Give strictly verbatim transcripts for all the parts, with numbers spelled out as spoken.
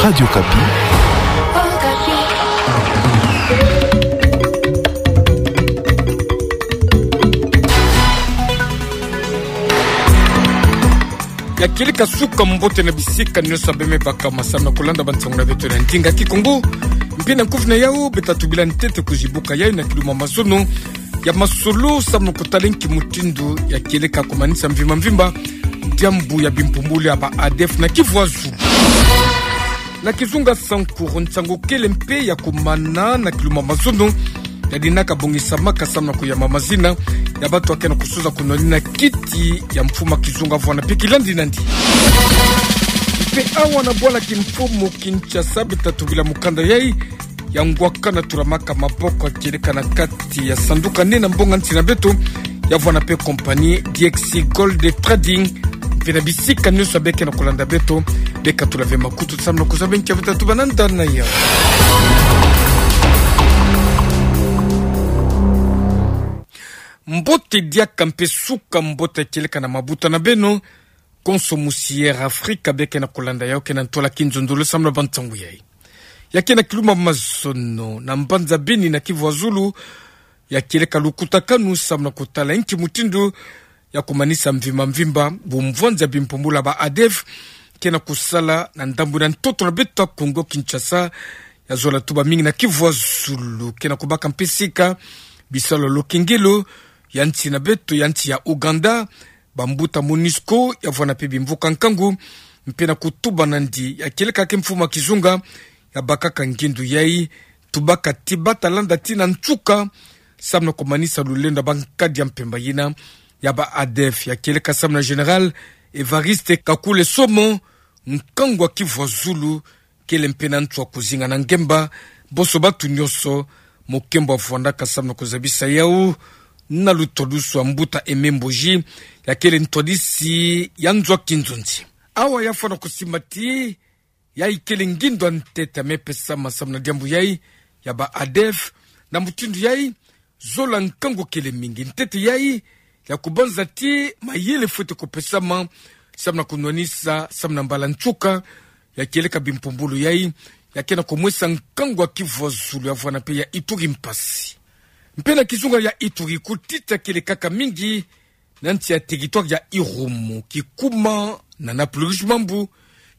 Radio Okapi. Ya kieleka suka mbote na bisika nyonso beme baka masamu na kulanda bansangu na beto na ndinga Kikongo. Mpe na nkufi na yau, beta tubila ntete kuzibuka yai na kiluma mazono ya masolo samu na kutala nki mutindu ya kieleka kumanisa mvimba mvimba diambu ya bimpumbulu ya ba ADF na Kivu Azulu. Na kizunga Sankuru, nsangu kele mpe ya kumana na kiluma mazono yadinaka bongisamaka samu na kuyamba mazina ya bantu ya ke na kusuza kunwanina kiti ya mfuma kizunga vwana mpe kilandi nandi. Mpe awa na bwala kimfumu Kinshasa, beta tubila mukanda yai ya ngwaka na tulamaka maboko ya kieleka na kati ya sanduka nde na mbonga nsi na beto, ya vwana mpe compagnie D X C Gold Trading. Mpe na bisika nyonso beke na kulanda beto, beka tula ve makutu samu na kuzaba nki ya beta tubananda na yau. Mbote diaka mpe suka mbote ya kieleka na mabuta na beno, konso musi Air Afrika beke na kulanda yau ke na ntola kinzonzolo samu na bansangu yai. Ya ke na kiluma mazono na mbanza Beni na Kivu Azulu, ya kieleka lukutakanu samu na kutala nki mutindu ya kumanisa mvimba mvimba bumvwanzi ya bimpumbulu ya ba ADF ke na kusala na ndambu na ntoto na beto ya Kongo Kinshasa, ya zola tuba mingi na Kivu Azulu, ke na kubaka mpe sika bisalu ya lukengelo ya nsi na beto ya nsi ya Ouganda, bambuta MONUSCO, ya vwana mpe bimvuka nkangu, mpe na kutuba nandi ya kieleka ke mfuma kizunga ya bakaka ngindu yai, tubaka ti bata landa tii na nsuka, samu na kumanisa lulendo ya bankadi ya mpemba yina ya ba ADF, ya kieleka samu na Général Évariste Kakule Somo, nkangu ya Kivu Azulu, kele mpe na ntu ya kuzinga na ngemba bonso bantu nyonso, mokembo ya vwandaka samu na kuzabisa yau na lutwadusu ya mbuta Aimé Mboji, ya kele ntwadisi ya nzo ya kinzonzi. Awa ya fwana kusimba ti yai kele ngindu ya ntete ya me pesama samu na diambu yai ya ba ADF, na mutindu yai zola nkangu kele mingi. Ntete yai ya kubanza ti mayele fwete kupesama samu na kunwanisa, samu na mbala nsuka ya kieleka bimpumbulu yai, ya ke na kumwesa nkangu ya Kivu Azulu, ya vwana mpe ya Ituri mpasi. Mpe na kizunga ya Ituri, kutita kele kaka mingi na nsi ya territoire ya Irumu, Kikuma na Napluris Mambu,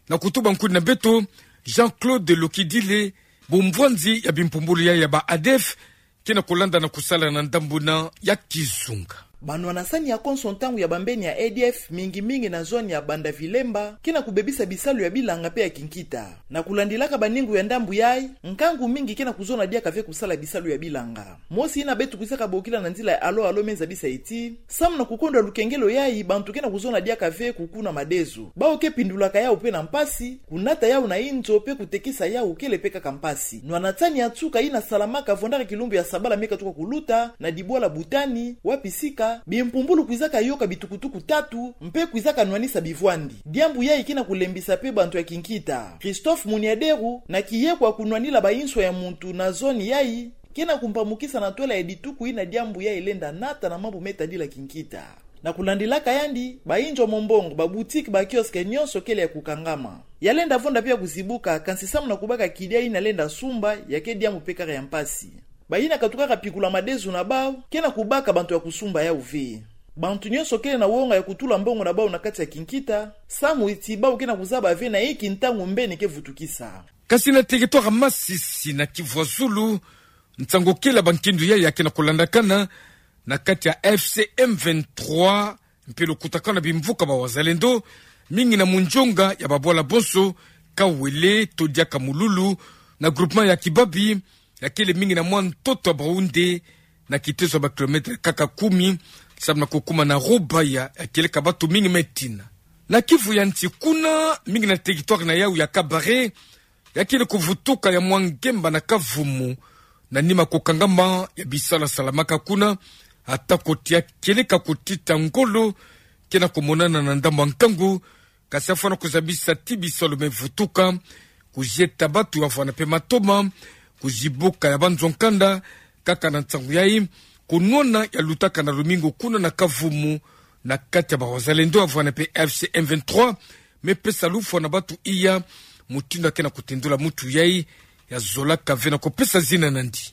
na kutuba nkuni na beto Jean-Claude Lokidile, bumvwanzi ya bimpumbulu yai ya ba ADF ke na kulanda na kusala na ndambu na ya kizunga. Banwanasani ya konso ntangu ya bambeni ya ADF, mingi mingi na zone ya Banda Vilemba, ke na kubebisa bisalu ya bilanga mpe ya kinkita. Na kulandilaka baningu ya ndambu yai, nkangu mingi ke na kuzona diaka ve kusala bisalu ya bilanga. Mosi yina beto kwizaka bokila na nzila ya Allô Allô me zabisa ti, samu na kukondwa lukengelo yai, bantu ke na kuzona diaka ve kukuna madezo. Bawu ke pindulaka yawu mpe na mpasi, kunata yawu na inzo mpe kutekisa yawu kele mpe kaka mpasi. Nwanasani ya nsuka yina salamaka vwandaka kilumbu ya sabala me katuka kuluta, na dibwala Butani, wapi sika bimpumbulu kwizaka yoka bitukutuku tatu, mpe kwizaka nwanisa bivwandi. Diambu yai ke na kulembisa mpe bantu ya kinkita. Christophe Muniaderu, na kiye kwa kunwanila bainswa ya muntu na zone yai, ke na kumpamukisa na ntwala ya dituku yina diambu yai lenda nata na mambu me tadila kinkita. Na kulandilaka yandi, bainzo ya mombongo, baboutique, bakiosque nyonso kele ya kukangama. Ya lenda vonda mpe ya kuzibuka, kansi samu na kubaka kidia yina lenda sumba, ya ke diambu mpe kaka ya mpasi. Bayina katukaka pikula madezo na bawu, ke na kubaka bantu ya kusumba yawu ve. Bantu nyonso kele na wonga ya kutula mbongo na bawu na kati ya kinkita, samu ti bawu ke na kuzaba ve na inki ntangu mbeni ke vutukisa. Kasi na territoire Masisi na Kivu ya Zulu, nsangu kele ya bankindu yai ya ke na kulandakana na kati ya F C M vingt-trois, mpe lukutakanu na bimvuka ba Wazalendo, mingi na munzonga ya babwala bonso, Kawele, to diaka Mululu, na groupement ya Kibabi, ya kele mingi na mwa ntoto ya Baoundé, na kiteso ya ba kilomètre kaka kumi, samu na kukuma na Rubaya, ya kieleka bantu mingi me tina. Na Kivu ya Nsi kuna, mingi na territoire na yawu ya Kabare, ya kele kuvutuka ya mwa ngemba na Kavumu, na nima kukangama ya bisalu salamaka kuna, ata ko ti ya kieleka kutita ngolo, ke na kumonana na ndambu ya nkangu, kasi ya fwana kuzabisa ti bisalu me vutuka, kuzieta bantu ya fwana mpe matoma, kuzibuka ya banzo ya nkanda, kaka na nsangu yai, kunwana ya lutaka na lumingu kuna na Kavumu, na kati ya ba Wazalendo ya fwana mpe F C M vingt-trois, me pesa lufwa na bantu iya, mutindu ya ke na kutendula mutu yai, ya zolaka ve na kupesa zina nandi.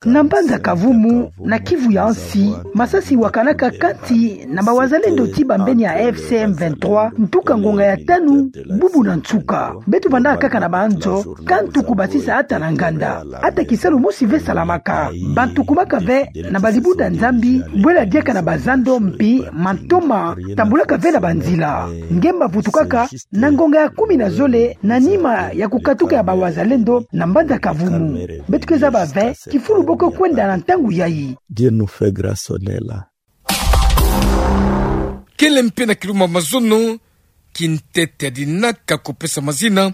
Na mbanza Kavumu, na Kivu ya nsi, masasi wakanaka kati na bawazalendo ti bambeni ya F C M vingt-trois, ntuka ngonga ya tanu, bubu na nsuka. Beto vandaka kaka na banzo, kantu kubasisa ata na nganda. Ata kisalu mosi ve salamaka. Bantu kumaka ve na balibunda Nzambi, bwela diaka na bazando mpi, mantoma, tambulaka ve na banzila. Nge mbavutukaka, na ngonga ya kumi na zole, na nima ya kukatuka ya bawazalendo, na mbanza Kavumu. Beto ke zaba ve, kifulu bo ke kwenda na ntangu yai. Kele mpe na kilumbu ya mazono, kintete ya dinaka kupesa mazina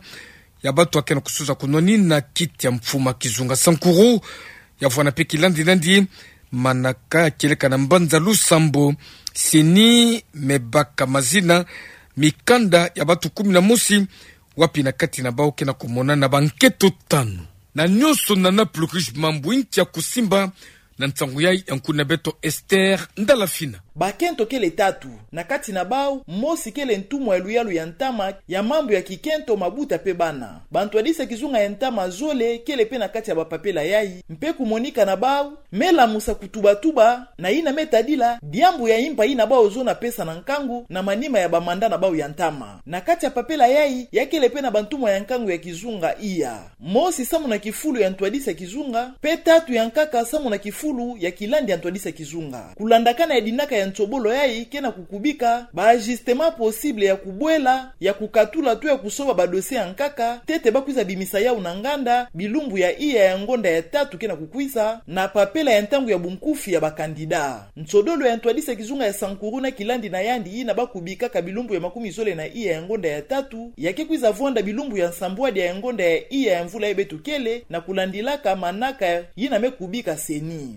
ya bantu ya ke na kusuza kunwanina kiti ya mfuma kizunga Sankuru, ya vwanda mpe kilandi nandi, manaka ya kieleka na mbanza Lusambo, CENI me baka mazina, mikanda ya bantu kumi na mosi, wapi na kati na bau ke na kumonana bankento tanu. Na nyonso nana plus riche mambu ntia kusimba, na nsangu yai ya nkuna beto Esther Ndalafina. Bakento kele tatu, na kati na bau, mosi kele ntumwa ya luyalu ya ntama, ya mambu ya kikento, mabuta mpe bana. Bantwadisi ya kizunga ya ntama zole, kele mpe na kati ya bapapela yai, mpe kumonika na bau, me lamusa kutubatuba, na yina me tadila, diambu ya impa yina bau zona pesa na nkangu, na manima ya bamanda na bau ya ntama. Na kati ya papela yai, ya kele mpe na bantumwa ya nkangu ya kizunga iya. Mosi samu na kifulu ya ntwadisi ya kizunga, mpe tatu ya nkaka samu na kifulu ya kilandi ya ntwadisi ya kizunga. Kulandakana ya dinaka ya nsobolo yai ke na kukubika, ba ajustements possibles ya kubwela, ya kukatula to ya kusoba ba dossiers ya nkaka, ntete ba kwiza bimisa yau na nganda, bilumbu ya iya ya ngonda ya tatu ke na kukwiza, na papela ya ntangu ya bunkufi ya ba candidats. Nsodolo ya ntwadisi ya kizunga ya Sankuru na kilandi na yandi yina ba kubikaka bilumbu ya makumi zole na iya ya ngonda ya tatu, ya ke kwiza vwanda bilumbu ya nsambwadia ya ngonda ya iya ya mvula yai beto kele, na kulandilaka manaka yina me kubika CENI.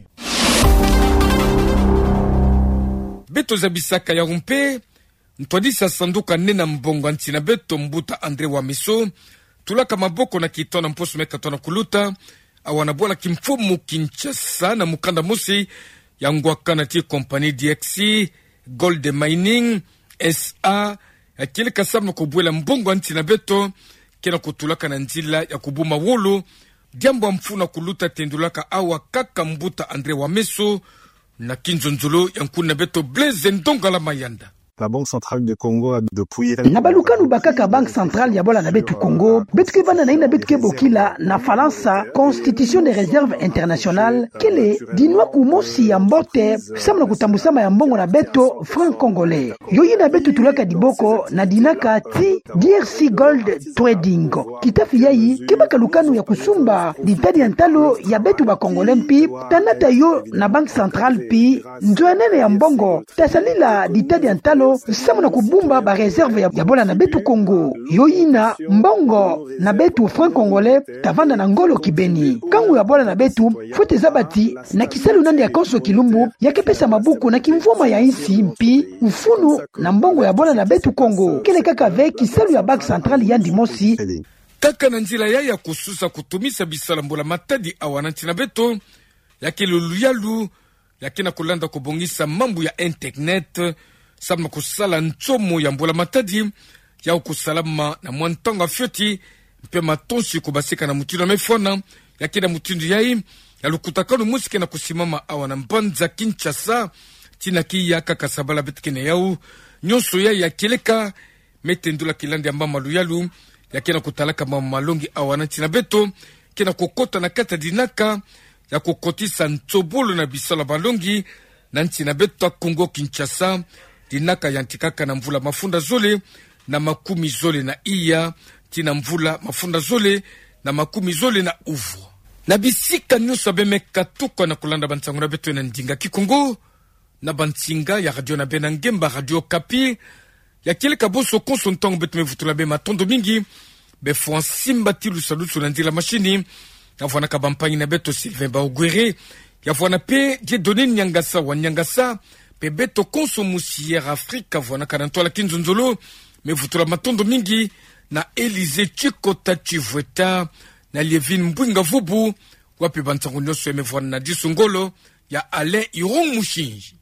Beto zabisaka yau mpe, ntwadisi ya sanduku ya nene ya mbongo ya nsi na beto, mbuta André Wameso, tulaka maboko na kitono na mposo me katono kuluta, awa na bwala kimfumu Kinshasa, na mukanda mosi ya ngwakana ti compagnie D X C Gold Mining S A, ya kieleka samu na kubwela mbongo ya nsi na beto ke na kutulaka na nzila ya kubuma wolo. Diambu ya mfunu kuluta tendulaka awa kaka mbuta André Wameso, na kinzonzolo ya nkuna beto Blaise Ndongala Mayanda. La Banque Centrale de Congo a depuis... Na balukanu bakaka Banque Centrale ya bwala na beto Congo, beto ke vanda na yina beto ke bokila na Falansa Constitution des Réserves Internationales, kele dinwa kumosi ya mbote samu na kutambusama ya mbongo na beto franc congolais. Yo yina beto tulaka diboko na dinaka ti D R C Gold Trading. Kitafi yai ke baka lukanu ya kusumba ditadi ya ntalo ya beto ba Congolais mpi, tanata yo na Banque Centrale mpi, nzo ya nene ya mbongo ta salila ditadi ya ntalo samu na kubumba ba réserves ya, ya bwala na beto Congo. Yo yina mbongo na beto franc congolais ta vanda na ngolo kibeni. Kangu ya bwala na beto, fwete zaba ti na kisalu nani ya konso kilumbu, ya ke pesa maboko na kimvwama ya insi mpi, mfunu na mbongo ya bwala na beto Congo. Kele kaka ve kisalu ya Banque Centrale yandi mosi. Kaka na nzila yai ya kususa kutumisa bisalu ya mbula matadi awa na nsi na beto, ya kele luyalu, ya ke na kulanda kubongisa mambu ya internet, samu na kusala nsomo ya mbula matadi, yau kusalama na mwa ntangu ya fioti, mpe matonsi kubasika na mutindu ya mefwana, ya ke na mutindu yai ya lukutakanu mosi ke na kusimama awa na mbanza Kinshasa, tina kiya kaka sabala beto ke na yau, nyonso yai ya kieleka, me tendula kilandi ya mama luyalu, ya ke na kutalaka mama malongi awa na nsi na beto, ke na kukota na kati ya dinaka ya kukotisa nsobolo na bisalu ya malongi na nsi na beto ya Congo Kinshasa, dinaka yantikaka na mvula mafunda zole na makumi zole na iya, tii na mvula mafunda zole na makumi zole na uvwa. Na bisika nyonso beno me katuka na kulanda bansangu na beto na ndinga Kikongo, na bansinga ya radio na beno ya ngemba, Radio Okapi, ya kieleka bonso konso ntangu beto me vutula beno matondo mingi. Befwa simba ti lusadusu na nzila mashini, ya vwanaka bampangi na beto Sylvain Baogwere, ya vwana mpe Dieudonné Niangasa wa Niangasa, mpe beto konso musi Air Afrique, ya vwanaka na ntwala kinzonzolo, me vutula matondo mingi na Élysée Tchikota Tchivweta, na Lievine Mbwinga Vubu, wapi bansangu nyonso ya me vwana na disu ngolo ya Alain Irung Mushinji.